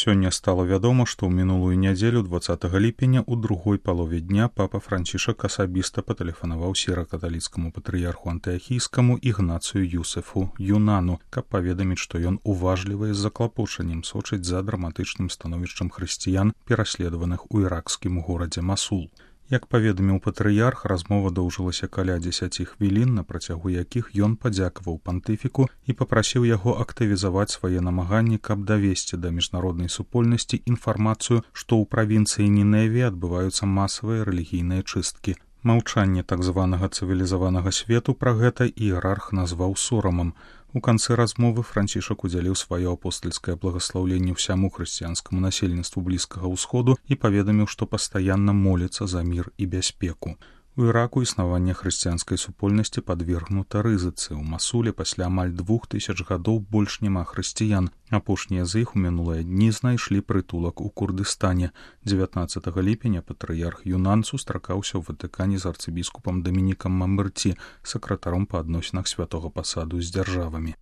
Сёння стала вядома, што ў мінулую нядзелю 20 ліпеня ў другой палове дня папа Францішак асабіста патэлефанаваў сіра-каталіцкаму патрыярху антыахійскаму Ігнацыю Юсефу Юнану, каб паведаміць, што ён уважліва і з заклапочаннем сочыць за драматычным становішчам хрысціян, пераследаваных у іракскім горадзе Масул. Як паведаміў патрыярх, размова доўжылася каля 10 хвілін, на працягу якіх ён падзякаваў пантыфіку і папрасіў яго актывізаваць свае намаганні, каб давесці да міжнароднай супольнасці інфармацыю, што ў правінцыі Ніневе адбываюцца масавыя рэлігійныя чысткі. Маўчанне так званага цывілізаванага свету пра гэта іерарх назваў сорамам. У канцы размовы Францішак удзяліў сваё апостальскае благаслаўленне ўсяму хрысціянскаму насельніцтву Блізкага ўсходу і паведаміў, што пастаянна моліцца за мір і бяспеку. У Іраку існаванне хрысціянскай супольнасці падвергнута рызыцы. У Масуле пасля амаль 2000 гадоў больш няма хрысціян. Апошнія з іх у мінулыя дні знайшлі прытулак у Курдыстане. 19 ліпеня патрыярх Юнан сустракаўся ў Ватыкане з арцыбіскупам Дамінікам Мамберці, сакратаром па адносінах святога пасаду з дзяржавамі.